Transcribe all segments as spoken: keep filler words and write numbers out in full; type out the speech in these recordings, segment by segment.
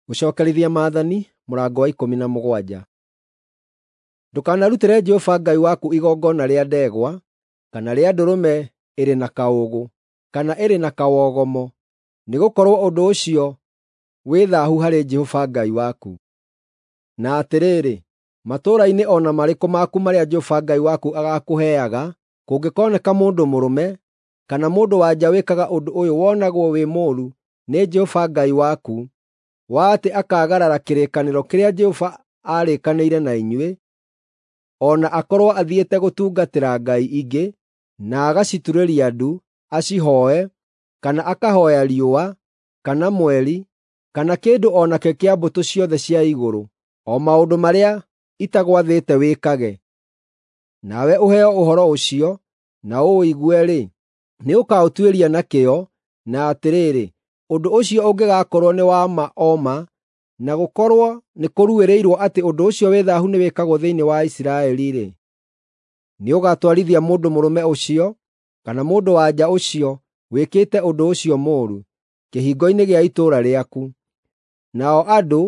Gũcookerithia Maathani mũrango wa ikũmi na mũgwanja. Ndũkanarutĩre Jehova Ngai waku igongona rĩa ndegwa, kana rĩa ndũrũme ĩrĩ na kaũũgũ, kana ĩrĩ na kawogomo, nĩgũkorwo ũndũ ũcio wĩ thaahu harĩ Jehova Ngai waku. Na atĩrĩrĩ, matũũra-inĩ o na marĩkũ maku marĩa Jehova Ngai waku agaakũheaga, kũngĩkoneka mũndũ mũrũme kana mũndũ-wa-nja wĩkaga ũndũ ũyũ wonagwo wĩ mũũru nĩ Jehova Ngai waku, wa atĩ akaagarara kĩrĩkanĩro kĩrĩa Jehova aarĩkanĩire na inyuĩ, o na akorwo athiĩte gũtungatĩra ngai ingĩ, na agaciturĩria ndu, acihooe, kana akahooya riũa, kana mweri, kana kĩndũ o nakĩ kĩa mbũtũ ciothe cia igũrũ, o maũndũ marĩa itagwathĩte wĩkage. Nawe ũheo ũhoro ũcio, na ũũigue-rĩ, nĩũkaũtuĩria na kĩyo, na atĩrĩrĩ, ũndũ ũcio ũngĩgakorwo nĩ wa ma o ma, na gũkorwo nĩkũruĩrĩirwo atĩ ũndũ ũcio wĩ thaahu nĩwĩkagwo thĩinĩ wa Isiraeli-rĩ, nĩũgatwarithia mũndũ mũrũme ũcio, kana mũndũ-wa-nja ũcio wĩkĩte ũndũ ũcio mũũru, kĩhingo-inĩ gĩa itũũra rĩaku. Nao andũ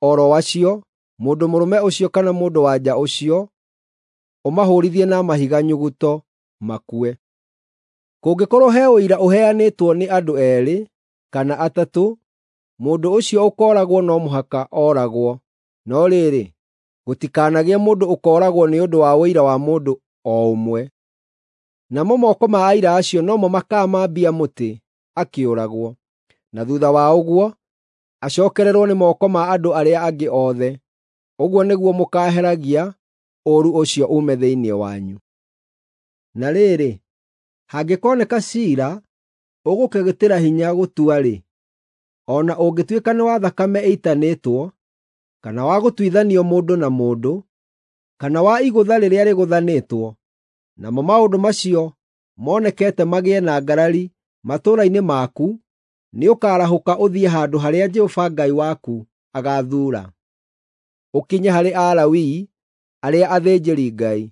o ro acio, mũndũ mũrũme ũcio kana mũndũ-wa-nja ũcio, ũmahũũrithie na mahiga nyuguto, makue. Kũngĩkorwo he ũira ũheanĩtwo nĩ andũ eerĩ kana atatũ, mũndũ ũcio ũkooragwo no mũhaka ooragwo, no rĩrĩ, gũtikanagĩe mũndũ ũkooragwo nĩ ũndũ wa ũira wa mũndũ o ũmwe. Namo moko ma aira acio no mo makaamwambia mũtĩ akĩũragwo, na thuutha wa ũguo acookererwo nĩ moko ma andũ arĩa angĩ othe. Ũguo nĩguo mũkaaheragia ũũru ũcio uume thĩinĩ wanyu. Na rĩrĩ, hangĩkoneka ciira ũgũkĩgĩtĩra hinya gũtua-rĩ, o na ũngĩtuĩka nĩ wa thakame ĩitanĩtwo, kana wa gũtuithanio mũndũ na mũndũ, kana wa igũtha rĩrĩa rĩgũthanĩtwo, namo maũndũ macio monekete magĩe na ngarari matũũra-inĩ maku, nĩũkarahũka ũthiĩ handũ harĩa Jehova Ngai waku agaathuura, ũkinye harĩ Alawii arĩa athĩnjĩri-Ngai,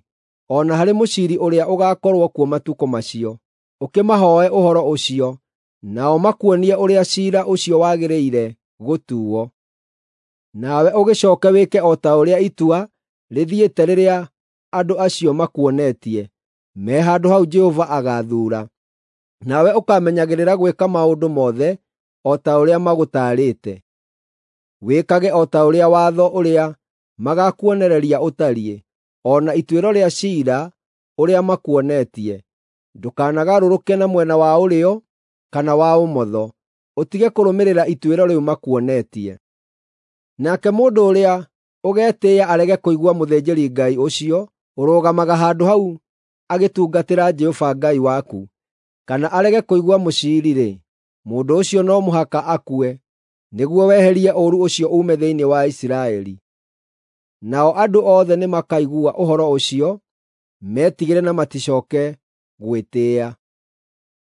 o na harĩ mũciiri ũrĩa ũgaakorwo kuo matukũ macio, ũkĩmahooe ũhoro ũcio, nao makuonie ũrĩa ciira ũcio wagĩrĩire gũtuuo. Nawe ũgĩcooke wĩke o ta ũrĩa itua rĩthiĩte rĩrĩa andũ acio makuonetie, me handũ hau Jehova agaathuura. Nawe ũkamenyagĩrĩra gwĩka maũndũ mothe o ta ũrĩa magũtaarĩte. Wĩkage o ta ũrĩa watho ũrĩa magaakuonereria ũtariĩ, o na ituĩro rĩa ciira ũrĩa makuonetie. Ndũkanagarũrũke na mwena wa ũrĩo kana wa ũmotho, ũtige kũrũmĩrĩra ituĩro rĩu makuonetie. Nake mũndũ ũrĩa ũgetĩĩa arege kũigua mũthĩnjĩri-Ngai ũcio ũrũgamaga handũ hau agĩtungatĩra Jehova Ngai waku, kana arege kũigua mũciiri-rĩ, mũndũ ũcio no mũhaka akue, nĩguo weherie ũũru ũcio uume thĩinĩ wa Isiraeli. Nao andũ othe nĩmakaigua ũhoro ũcio, metigĩre na maticooke gwĩtĩĩa.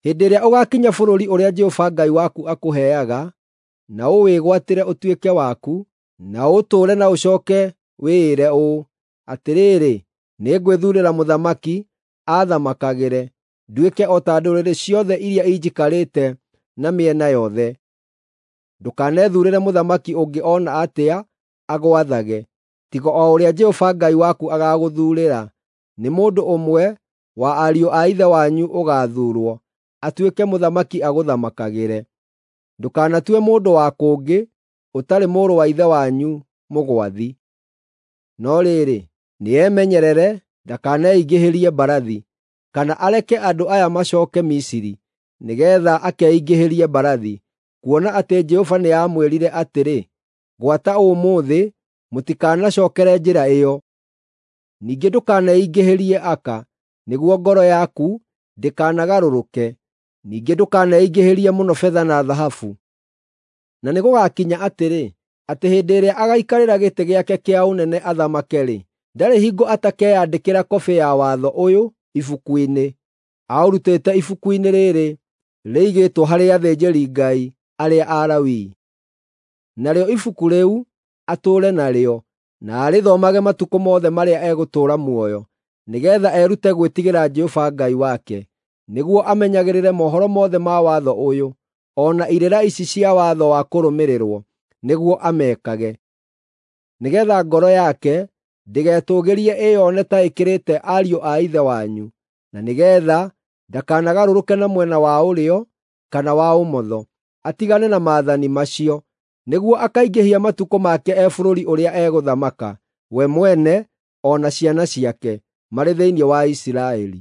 Hĩndĩ ĩrĩa ũgaakinya bũrũri ũrĩa Jehova Ngai waku akũheaga, na ũwĩgwatĩre ũtuĩke waku, na ũũtũũre na ũcooke wĩĩre ũũ, “Atĩrĩrĩ, nĩngwĩthuurĩra mũthamaki aathamakagĩre, nduĩke o ta ndũrĩrĩ ciothe iria injikarĩte na mĩena yothe.” Ndũkanethuurĩre mũthamaki ũngĩ o na atĩa agwathage, tiga o ũrĩa Jehova Ngai waku agaagũthuurĩra. Nĩ mũndũ ũmwe wa ariũ a ithe wanyu ũgaathuurwo atuĩke mũthamaki agũthamakagĩre. Ndũkanatue mũndũ wa kũngĩ ũtarĩ mũrũ wa ithe wanyu mũgwathi. No rĩrĩ, nĩemenyerere ndakaneingĩhĩrie mbarathi, kana areke andũ aya macooke Misiri, nĩgeetha akeingĩhĩrie mbarathi, kuona atĩ Jehova nĩamwĩrire atĩrĩ, “Gwata ũmũthĩ mũtikanacookere njĩra ĩyo.” Ningĩ ndũkaneingĩhĩrie aka, nĩguo ngoro yaku ndĩkanagarũrũke. Ningĩ ndũkaneingĩhĩrie mũno betha na thahabu. Na nĩgũgakinya atĩrĩ, atĩ hĩndĩ ĩrĩa agaikarĩra gĩtĩ gĩake kĩa ũnene athamake-rĩ, ndarĩ hingo atakeyandĩkĩra kobĩ ya watho ũyũ ibuku-inĩ, aũrutĩte ibuku-inĩ rĩĩrĩ rĩigĩtwo harĩ athĩnjĩri-Ngai arĩa Alawii. Narĩo ibuku rĩu atũũre narĩo, na arĩthomage matukũ mothe marĩa egũtũũra muoyo, nĩgeetha erute gwĩtigĩra Jehova Ngai wake, nĩguo amenyagĩrĩre mohoro mothe ma watho ũyũ, o na irĩra ici cia watho wa kũrũmĩrĩrwo, nĩguo amekage, nĩgeetha ngoro yake ndĩgetũũgĩrie ĩyone ta ĩkĩrĩte ariũ a ithe wanyu, na nĩgeetha ndakanagarũrũke na mwena wa ũrĩo kana wa ũmotho, atigane na maathani macio, nĩguo akaingĩhia matukũ make e bũrũri ũrĩa egũthamaka, we mwene o na ciana ciake, marĩ thĩinĩ wa Isiraeli.